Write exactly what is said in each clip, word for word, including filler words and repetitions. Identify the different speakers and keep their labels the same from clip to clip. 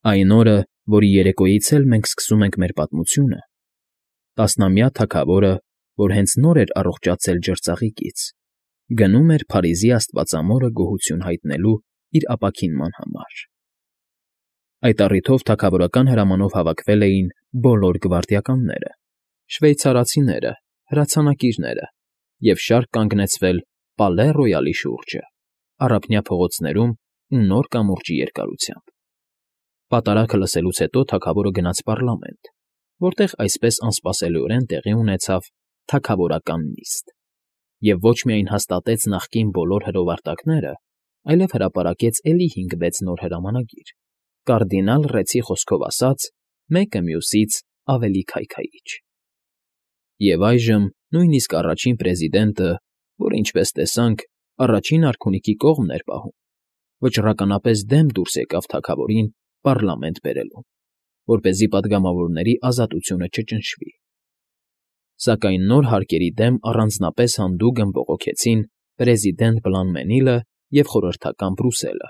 Speaker 1: Այն օրը, որի երեկոյից էլ մենք սկսում ենք մեր պատմությունը, տասնամյա թագավորը, որ հենց նոր էր առողջացել ջրծաղիկից, գնում էր Փարիզի Աստվածամորը գոհություն հայտնելու իր ապաքինման համար։ Այդ առիթով թագավորական հրամանով հավաքվել էին բոլոր գվարդիականները, շվեյցարացիները, հրացանակիրները և շարք կանգնեցվել Պալե Ռոյալի շուրջը, առափնյա փողոցներում ու նոր կամուրջի երկարությամբ։ Պատարագը լսելուց հետո թագավորը գնաց պառլամենտ, որտեղ այսպես անսպասելիորեն տեղի ունեցավ թագավորական նիստ, և ոչ միայն հաստատեց նախկին բոլոր հրովարտակները, այլև հրապարակեց էլի հինգ֊վեց նոր հրամանագիր, կարդինալ Ռեցի խոսքով ասած, մեկը մյուսից ավելի քայքայիչ։ Եվ այժմ նույնիսկ առաջին պրեզիդենտը, որը, ինչպես տեսանք, առաջին արքունիքի կողմն էր պահում, վճռականապես դեմ դուրս եկավ թագավորին պառլամենտ բերելուն, որպեսզի պատգամավորների ազատությունը չճնշվի։ Սակայն նոր հարկերի դեմ առանձնապես հանդուգն բողոքեցին պրեզիդենտ Բլանմենիլը և խորհրդական Բրուսելը։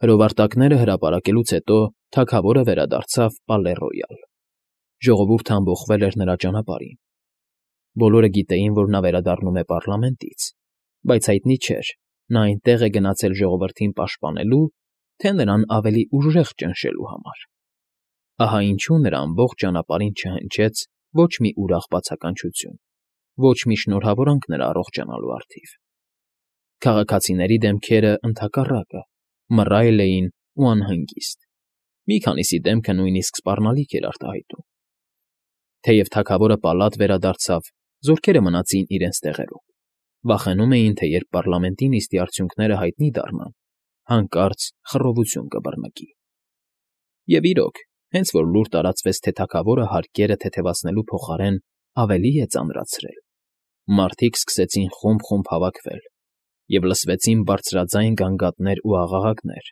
Speaker 1: Հրովարտակները հրապարակելուց հետո թագավորը վերադարձավ Պալե Ռոյալ։ Ժողովուրդը ամբոխվել էր նրա ճանապարհին։ Բոլորը գիտեին, որ նա վերադառնում է պառլամենտից, բայց հայտնի չէր, նա այնտեղ է գնացել ժողովրդին պաշտպանելու, թե նրան ավելի ուժեղ ճնշելու համար։ Ահա ինչու նրա ամբողջ ճանապարհին չհնչեց ոչ մի ուրախ բացականչություն, ոչ մի շնորհավորանք նրա առողջանալու առթիվ։ Քաղաքացիների դեմքերը, ընդհակառակը, մռայլ էին ու անհանգիստ, մի քանիսի դեմքը նույնիսկ սպառնալիք էր արտահայտում։ Թեև թագավորը պալատ վերադարձավ, զորքերը մնացին իրենց տեղերում, վախենում էին, թե երբ պառլամենտի նիստի արդյունքները հայտնի դառնան, հանկարծ խռովություն կբռնկի։ Եվ իրոք, հենց որ լուր տարածվեց, թե թագավորը հարկերը թեթևացնելու փոխարեն ավելի է ծանրացրել, մարդիկ սկսեցին խումբ֊խումբ հավաքվել, և լսվեցին բարձրաձայն գանգատներ ու աղաղակներ.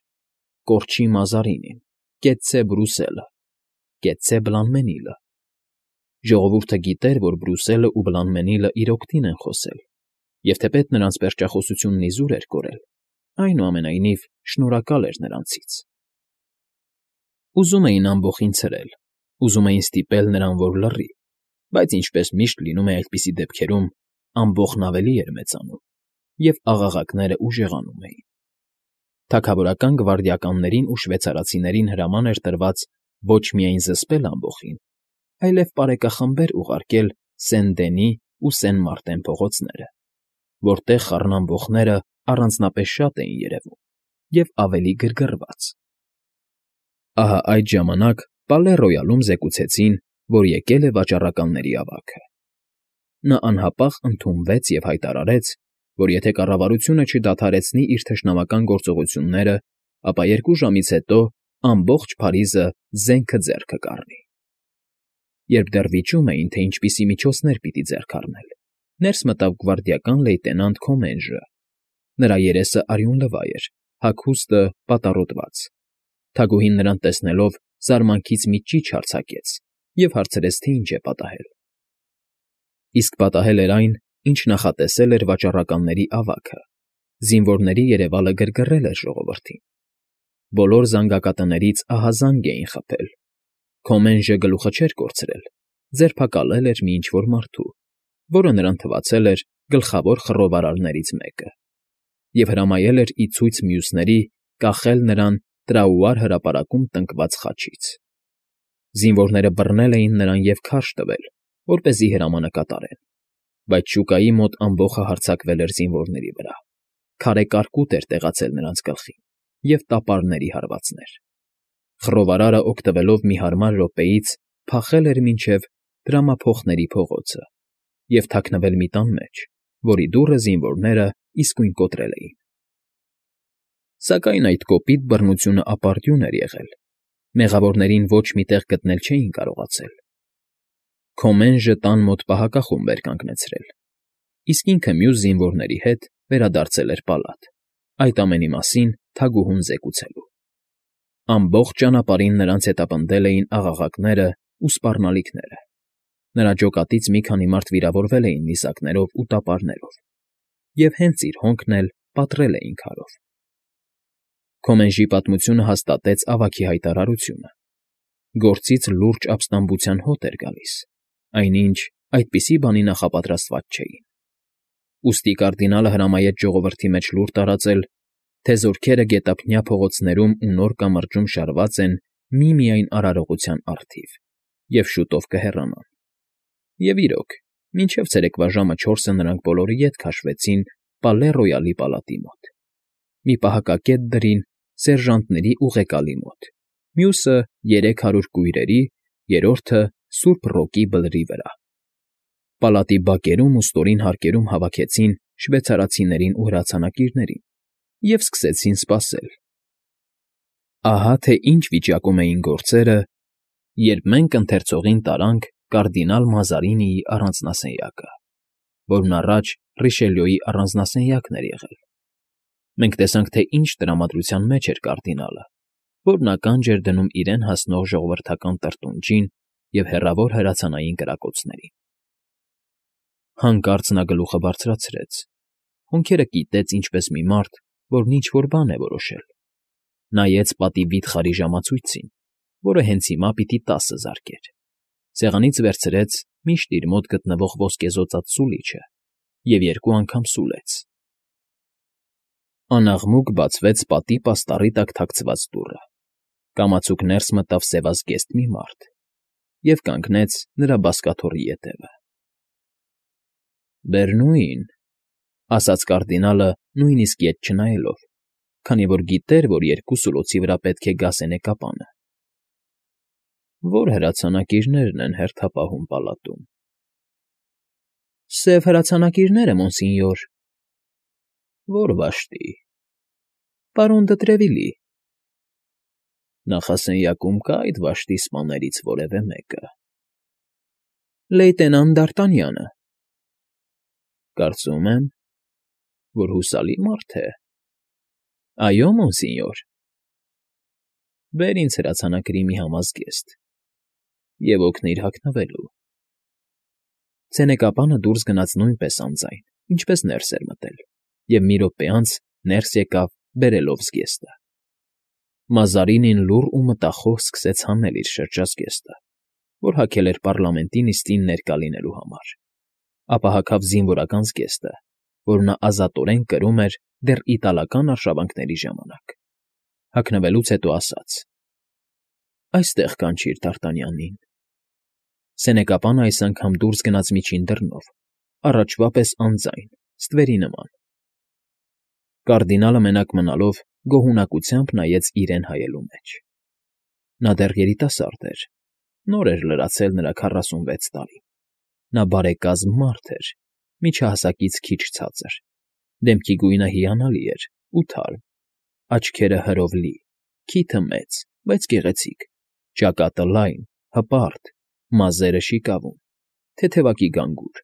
Speaker 1: «Կորչի Մազարինին», «Կեցցե Բրուսելը», «Կեցցե Բլանմենիլը»։ Ժողովուրդը գիտեր, որ Բրուսելը ու Բլանմենիլը իր օգտին են խոսել, և թեպետ նրանց պերճախոսությունն իզուր էր կորել, այնուամենայնիվ շնորհակալ էր նրանցից։ Ուզում էին ամբոխին ցրել, ուզում էին ստիպել նրան, որ լռի, բայց ինչպես միշտ լինում է այդպիսի դեպքերում, ամբոխն ավելի էր մեծանում, և աղաղակները ուժեղանում էին։ Թագավորական գվարդիականներին ու շվեյցարացիներին հրաման էր տրված ոչ միայն զսպել ամբոխին, այլև պարեկախմբեր ուղարկել Սեն֊Դենի ու Սեն֊Մարտեն փողոցները, որտեղ խառնամբոխները առանձնապես շատ էին երևում և ավելի գրգռված։ Ահա այդ ժամանակ Պալե Ռոյալում զեկուցեցին, որ եկել է վաճառականների ավագը։ Նա անհապաղ ընդունվեց և հայտարարեց, որ եթե կառավարությունը չդադարեցնի իր թշնամական գործողությունները, ապա երկու ժամից հետո ամբողջ Փարիզը զենքը ձեռքը կառնի։ Երբ դեռ վիճում էին, թե ինչպիսի միջոցներ պիտի ձեռք առնել, ներս մտավ գվարդիական լեյտենանտ Քոմենժը։ Նրա երեսը արյունլվա էր, հագուստը պատառոտված։ Թագուհին նրան տեսնելով զարմանքից մի ճիչ արձակեց և հարցրեց, թե ինչ է պատահել։ Իսկ պատահել էր այն, ինչ նախատեսել էր վաճառականների ավագը։ Զինվորների երևալը գրգռել էր ժողովրդին։ Բոլոր զանգակատներից ահազանգ էին խփել։ Քոմենժը գլուխը չէր կորցրել, ձերբակալել էր մի ինչ֊որ մարդու, որը նրան թվացել էր գլխավոր խռովարարներից մեկը, և հրամայել էր ի ցույց մյուսների կախել նրան Տրաուար հրապարակում տնկված խաչից։ Զինվորները բռնել էին նրան և քարշ տվել, որպեսզի հրամանը կատարեն, բայց շուկայի մոտ ամբոխը հարձակվել էր զինվորների վրա, քարե կարկուտ էր տեղացել նրանց գլխին և տապարների հարվածներ։ Խռովարարը, օգտվելով մի հարմար րոպեից, փախել էր մինչև Դրամափոխների փողոցը և թաքնվել մի տան մեջ, որի դուռը զինվորները իսկույն կոտրել էին։ Սակայն այդ կոպիտ բռնությունը ապարդյուն էր եղել, մեղավորներին ոչ մի տեղ գտնել չէին կարողացել։ Քոմենժը տան մոտ պահակախումբ էր կանգնեցրել, իսկ ինքը մյուս զինվորների հետ վերադարձել էր պալատ, այդ ամենի մասին թագուհուն զեկուցելու։ Ամբողջ ճանապարհին նրանց հետապնդել էին աղաղակները ու սպառնալիքները։ Նրա ջոկատից մի քանի մարդ վիրավորվել էին նիզակներով ու տապարներով, և հենց իր հոնքն էլ պատռել էին քարով։ Քոմենժի պատմությունը հաստատեց ավագի հայտարարությունը. գործից լուրջ ապստամբության հոտ էր գալիս, այնինչ այդպիսի բանի նախապատրաստված չէին։ Ուստի կարդինալը հրամայեց ժողովրդի մեջ լուր տարածել, թե զորքերը գետափնյա փողոցներում ու նոր կամրջում շարված են միմիայն արարողության առթիվ և շուտով կհեռանան։ Եվ իրոք, մինչև ցերեկվա ժամը չորսը նրանք բոլորը ետ քաշվեցին Պալե Ռոյալի պալատի մոտ։ Մի պահակակետ դրին սերժանտների ուղեկալի մոտ, մյուսը երեք հարյուր կույրերի, երրորդը Սուրբ Ռոկի բլրի վրա։ Պալատի բակերում ու ստորին հարկերում հավաքեցին շվեյցարացիներին ու հրացանակիրներին և սկսեցին սպասել։ Ահա թե ինչ վիճակում էին գործերը, երբ մենք ընթերցողին տարանք կարդինալ Մազարինիի առանձնասենյակը, որն առաջ Ռիշելյուի առանձնասենյակն էր եղել։ Մենք տեսանք, թե ինչ տրամադրության մեջ էր կարդինալը, որն ականջ էր դնում իրեն հասնող ժողովրդական տրտունջին և հեռավոր հրացանային կրակոցներին։ Հանկարծ նա գլուխը բարձրացրեց, հոնքերը կիտեց ինչպես մի մարդ, որն ինչ֊որ բան է որոշել, նայեց պատի վիթխարի ժամացույցին, որը հենց հիմա պիտի տասը զարկեր, սեղանից վերցրեց միշտ իր մոտ գտնվող ոսկեզօծած սուլիչը և երկու անգամ սուլեց։ Անաղմուկ բացվեց պատի պաստառի տակ թաքցված դուռը, կամացուկ ներս մտավ սևազգեստ մի մարդ և կանգնեց նրա բազկաթոռի ետևը։ ֊ Բերնույն,֊ ասաց կարդինալը նույնիսկ ետ չնայելով, քանի որ գիտեր, որ երկու սուլոցի վրա պետք է գա սենեկապանը։ ֊ Ո՞ր հրացանակիրներն են հերթապահում պալատում։ ֊ Սև հրացանակիրները, մոնսինյոր։ ֊ Ո՞ր վաշտի։ ֊ Պարոն դը Տրևիլի։ ֊ Նախասենյակում կա՞ այդ վաշտի սպաներից որևէ մեկը։ ֊ Լեյտենանտ Դ'Արտանյանը։ ֊ Կարծում եմ, որ հուսալի մարդ է։ ֊ Այո, մոնսինյոր։ ֊ Բեր ինձ հրացանակրի մի համազգեստ և օգնիր հագնվելու։ Սենեկապանը դուրս գնաց նույնպես անձայն, ինչպես ներս էր մտել, և մի րոպե անց ներս եկավ բերելով զգեստը։ Մազարինին լուռ ու մտախոհ սկսեց հանել իր շրջազգեստը, որ հագել էր պառլամենտի նիստին ներկա լինելու համար, ապա հագավ զինվորական զգեստը, որ նա ազատորեն կրում էր դեռ իտալական արշավանքների ժամանակ։ Հագնվելուց հետո ասաց. «Այստեղ կանչիր Դ'Արտանյանին»։ Սենեկապանը այս անգամ դուրս գնաց միջին դռնով, առաջվա պես անձայն, ստվերի նման։ Կարդինալը մենակ մնալով գոհունակությամբ նայեց իրեն հայելու մեջ։ Նա դեռ երիտասարդ էր, նոր էր լրացել նրա քառասունվեց տարին։ Նա բարեկազմ մարդ էր, միջահասակից քիչ ցածր, դեմքի գույնը հիանալի էր ու թարմ, աչքերը հրով լի, քիթը մեծ, բայց գեղեցիկ, ճակատը լայն, հպարտ, մազերը շիկավուն, թեթևակի գանգուր,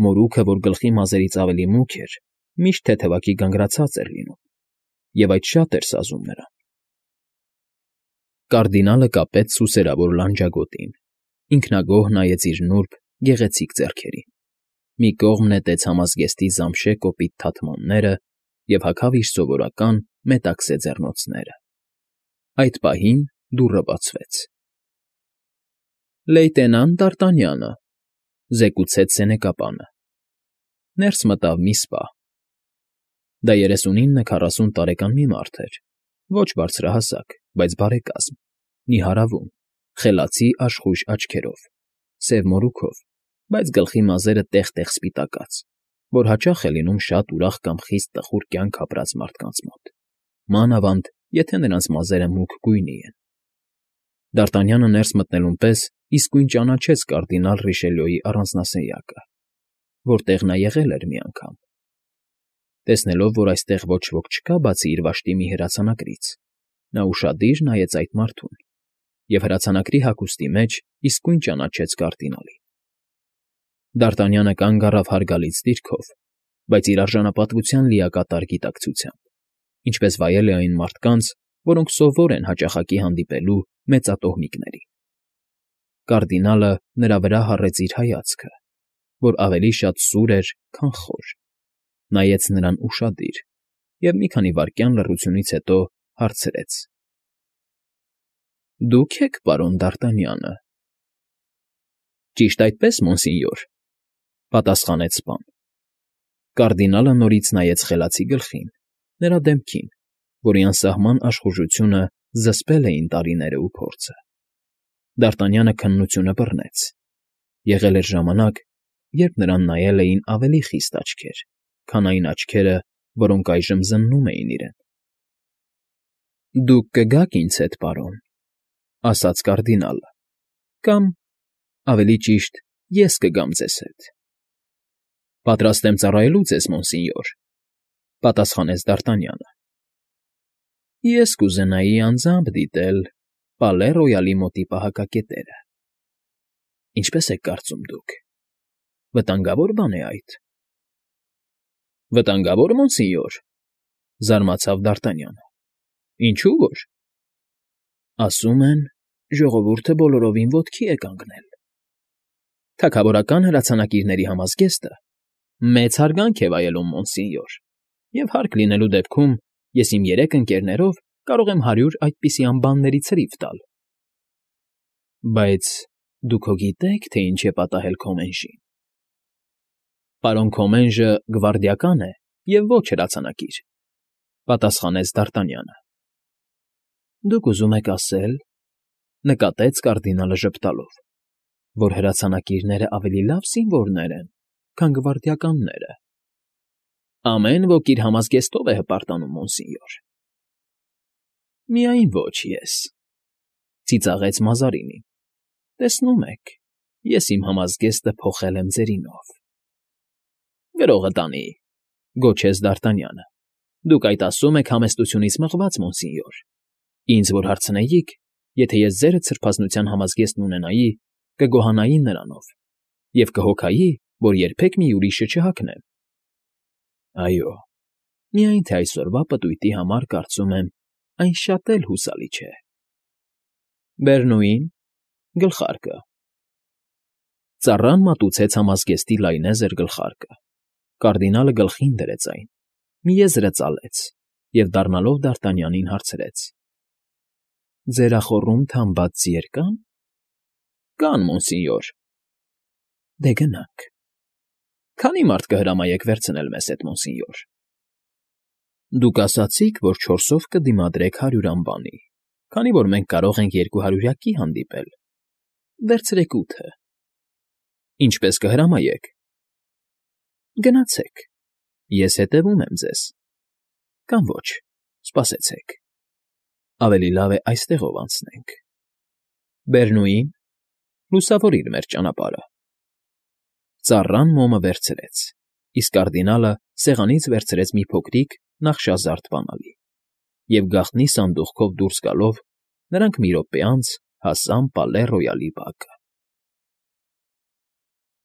Speaker 1: մորուքը, որ գլխի մազերից ավելի մուգ էր, միշտ թեթևակի գանգրացած էր լինում, և այդ շատ էր սազում նրան։ Կարդինալը կապեց սուսերավոր լանջագոտին, ինքնագոհ նայեց իր նուրբ, գեղեցիկ ձեռքերին, մի կողմ նետեց համազգեստի զամշե կոպիտ թաթմանները և հագավ իր սովորական մետաքսե ձեռնոցները։ Այդ պահին դուռը բացվեց։ ֊ Լեյտենանտ Դ'Արտանյանը,֊ զեկուցեց սենեկապանը։ Ներս մտավ մի սպա։ Դա երեսունինը քառասուն տարեկան մի մարդ էր, ոչ բարձրահասակ, բայց բարեկազմ, նիհարավուն, խելացի աշխույժ աչքերով, սև մորուքով, բայց գլխի մազերը տեղ֊տեղ սպիտակած, որ հաճախ է լինում շատ ուրախ կամ խիստ տխուր կյանք ապրած մարդկանց մոտ, մանավանդ, եթե նրանց մազերը մուգ գույնի են։ Դ'Արտանյանը ներս մտնելուն պես իսկույն ճանաչեց կարդինալ Ռիշելյուի առանձնասենյակը, որտեղ նա եղել էր մի անգամ։ Տեսնելով, որ այստեղ ոչ ոք չկա բացի իր վաշտի մի հրացանակրից, նա ուշադիր նայեց այդ մարդուն և հրացանակրի հագուստի մեջ իսկույն ճանաչեց կարդինալին։ Դ'Արտանյանը կանգ առավ հարգալից դիրքով, բայց իր արժանապատվության լիակատար գիտակցությամբ, ինչպես վայել է այն մարդկանց, որոնք սովոր են հաճախակի հանդիպելու մեծատոհմիկներին։ Կարդինալը նրա վրա հառեց իր հայացքը, որ ավելի շատ սուր էր, քան խոր, նայեց նրան ուշադիր և մի քանի վայրկյան լռությունից հետո հարցրեց։ ֊ Դուք եք պարոն Դ'Արտանյանը։ ֊ Ճիշտ այդպես, մոնսինյոր,֊ պատասխանեց սպան։ Կարդինալը նորից նայեց խելացի գլխին, նրա դեմքին, որի անսահման աշխուժությունը զսպել էին տարիներն ու փորձը։ Դ'Արտանյանը քննությունը բռնեց. եղել էր ժամանակ, երբ նրան նայել էին ավելի խիստ աչքեր, քան այն աչքերը, որոնք այժմ զննում էին իրեն։ ֊ Դուք կգաք ինձ հետ, պարոն,֊ ասաց կարդինալը,֊ կամ, ավելի ճիշտ, ես կգամ ձեզ հետ։ ֊ Պատրաստ եմ ծառայելու ձեզ, մոնսինյոր,֊ պատասխանեց Դ'Արտանյանը։ ֊ Ես կուզենայի անձամբ դիտել Պալե Ռոյալի մոտի պահակակետերը։ ֊ Ինչպե՞ս եք կարծում դուք, վտանգավոր բան է այդ։ ֊ Վտանգավոր, մոնսինյոր,֊ զարմացավ Դ'Արտանյանը։ ֊ Ինչո՞ւ որ։ ֊ Ասում են, ժողովուրդը բոլորովին ոտքի է կանգնել։ Թագավորական հրացանակիրների համազգեստը մեծ հարգանք է վայելում, մոնսինյոր, և հարկ լինելու դեպքում ես իմ երեք ընկերներով կարող եմ հարյուր այդպիսի անբանների ցրիվ տալ։ ֊ Բայց դուք հո գիտե՞ք, թե ինչ է պատահել Քոմենժին։ ֊ Պարոն Քոմենժը գվարդիական է և ոչ հրացանակիր,֊ պատասխանեց Դ'Արտանյանը։ ֊ Դուք ուզում եք ասել,֊ նկատեց կարդինալը ժպտալով,֊ որ հրացանակիրները ավելի լավ զինվորներ են, քան գվարդիականները։ ֊ Ամեն ոք իր համազգեստով է հպարտանում, մոնսինյոր։ ֊ Միայն ոչ ես,֊ ծիծաղեց Մազարինին։ ֊ Տեսնում եք, ես իմ համազգեստը փոխել եմ ձերինով։ ֊ Գրողը տանի,֊ գոչեց Դ'Արտանյանը,֊ դուք այդ ասում եք համեստությունից մղված, մոնսինյոր։ Ինձ որ հարցնեիք, եթե ես ձերդ սրբազնության համազգեստն ունենայի, կգոհանայի նրանով և կհոգայի, որ երբեք մի ուրիշը չհագնեմ։ ֊ Այո, միայն թե այսօրվա պտույտի համար կարծում եմ, այն շատ էլ հուսալի չէ։ ֊ Բերնուի՞ն, գլխարկը։ Ծառան մատուցեց համազգեստի լայնեզր գլխարկը։ Կարդինալը գլխին դրեց այն, մի եզրը ծալեց և, դառնալով Դ'Արտանյանին, հարցրեց. ֊ Ձերախոռում թամբած ձիեր կա՞ն։ ֊ Կան, մոնսինյոր։ ֊ Դե գնանք։ ֊ Քանի՞ մարդ կհրամայեք վերցնել մեզ հետ, մոնսինյոր։ ֊ Դուք ասացիք, որ չորսով կդիմադրեք հարյուր ամբանի, քանի որ մենք կարող ենք երկուհարյուրյակի հանդիպել։ Վերցրեք ութը։ ֊ Ինչպե՞ս կհրամայեք։ ֊ Գնացեք, ես հետևում եմ ձեզ։ ֊ Կամ ոչ, սպասեցեք, ավելի լավ է այստեղով անցնենք։ Բերնուի՞ն, լուսավորիր մեր ճանապարհը։ Ծառան մոմը վերցրեց, իսկ կարդինալը սեղանից վերցրեց մի փոքրիկ նախշազարդ բանալի, և գաղտնի սանդուղքով դուրս գալով՝ նրանք մի րոպե անց հասան Պալե Ռոյալի բակը։